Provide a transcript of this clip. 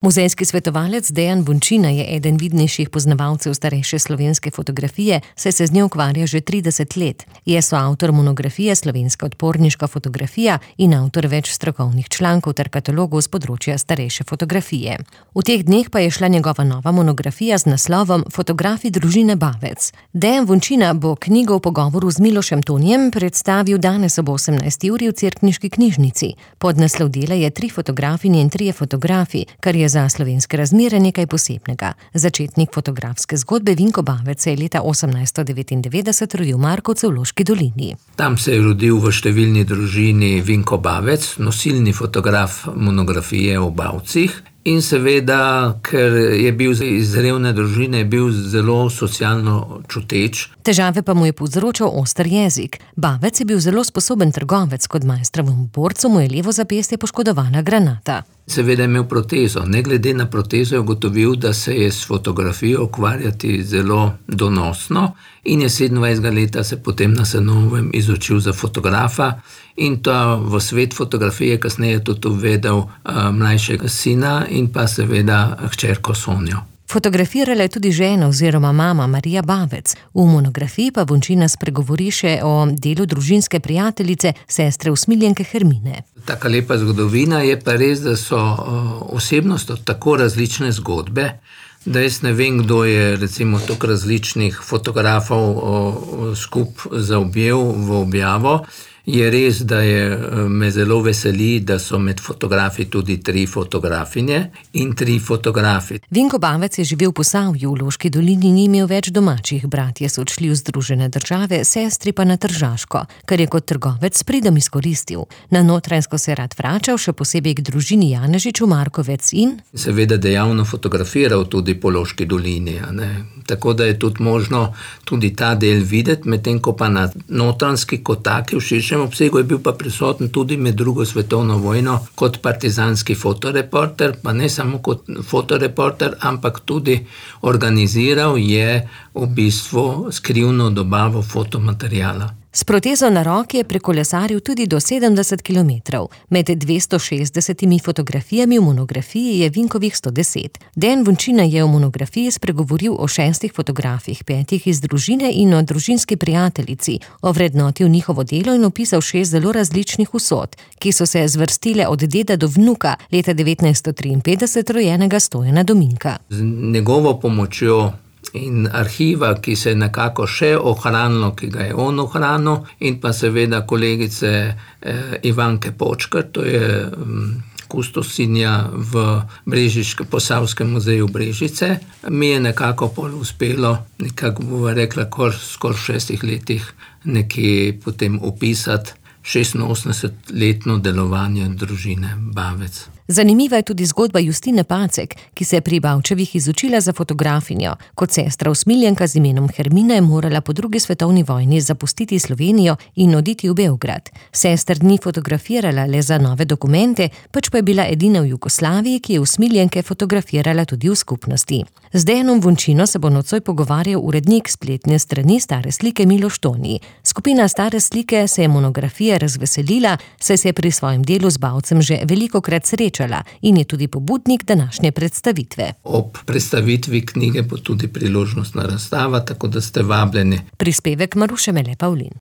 Muzejski svetovalec Dejan Vončina je eden vidnejših poznavalcev starejše slovenske fotografije, saj se z njo ukvarja že 30 let. Je soavtor monografije Slovenska odporniška fotografija in avtor več strokovnih člankov ter katalogov z področja starejše fotografije. V teh dneh pa je šla njegova nova monografija z naslovom Fotografi družine Bavec. Dejan Vončina bo knjigo v pogovoru z Milošem Tonijem predstavil danes ob 18. uri v Cerkniški knjižnici. Podnaslov dela je 3 fotografinje in 3 fotografi, kar je za slovenske razmere nekaj posebnega. Začetnik fotografske zgodbe Vinko Bavec se je leta 1899 rodil v Markovcu v Loški dolini. Tam se je rodil v številni družini Vinko Bavec, nosilni fotograf monografije o Bavcih. In seveda, ker je bil iz revne družine, je bil zelo socialno čuteč. Težave pa mu je povzročal oster jezik. Bavec je bil zelo sposoben trgovec, kot maestrovemu borcu mu je levo zapestje poškodovala granata. Seveda je imel protezo. Ne glede na protezo je ugotovil, da se je s fotografijo ukvarjati zelo donosno in je 27 leta se potem na Senovem izučil za fotografa in to v svet fotografije kasneje tudi uvedel mlajšega sina in pa seveda hčerko Sonjo. Fotografirala je tudi žena oziroma mama Marija Bavec. V monografiji pa Vončina spregovori še o delu družinske prijateljice, sestre usmiljenke Hermine. Taka lepa zgodovina je pa res, da so osebnost tako različne zgodbe, da jaz ne vem, kdo je recimo toliko različnih fotografov skup zaobjel v objavo. Je res, da me zelo veseli, da so med fotografi tudi 3 fotografinje in 3 fotografi. Vinko Bavec je živel v Posavju, v Loški dolini ni imel več domačih. Bratje so odšli v Združene države, sestri pa na Tržaško, kar je kot trgovec s pridom izkoristil. Na Notranjsko se je rad vračal, še posebej k družini Janežič v Markovec in seveda dejavno fotografiral tudi po Loški dolini, tako da je tudi možno tudi ta del videti, medtem ko pa na Notranjski kot taki v širšem obsegu je bil pa prisoten tudi med drugo svetovno vojno kot partizanski fotoreporter, pa ne samo kot fotoreporter, ampak tudi organiziral je v bistvu skrivno dobavo fotomateriala. S protezo na roki je prekolesaril tudi do 70 kilometrov. Med 260 fotografijami v monografiji je Vinkovih 110. Dejan Vončina je v monografiji spregovoril o 6 fotografih, 5 iz družine in o družinski prijateljici, ovrednotil njihovo delo in opisal 6 zelo različnih usod, ki so se zvrstile od deda do vnuka leta 1953 rojenega Stojana Dominka. Z njegovo pomočjo in arhiva, ki se je nekako še ohranilo, ki ga je on ohranil, in pa seveda kolegice Ivanke Počkar, to je kustosinja v Posavskem muzeju Brežice. Mi je nekako pol uspelo, nekako bova rekla, skoraj v 6 letih nekje potem opisati 86-letno delovanje družine Bavec. Zanimiva je tudi zgodba Justine Pacek, ki se je pri Bavčevih izučila za fotografinjo. Kot sestra usmiljenka z imenom Hermina je morala po 2. svetovni vojni zapustiti Slovenijo in oditi v Beograd. Sester ni fotografirala le za nove dokumente, pač pa je bila edina v Jugoslaviji, ki je usmiljenke fotografirala tudi v skupnosti. Z Dejanom Vončino se bo nocoj pogovarjal urednik spletne strani Stare slike Miloš Toni. Skupina Stare slike se je monografije razveselila, saj se je pri svojem delu z Bavcem že velikokrat srečala in je tudi pobudnik današnje predstavitve. Ob predstavitvi knjige bo tudi priložnostna razstava, tako da ste vabljeni. Prispevek Maruše Mele Pavlin.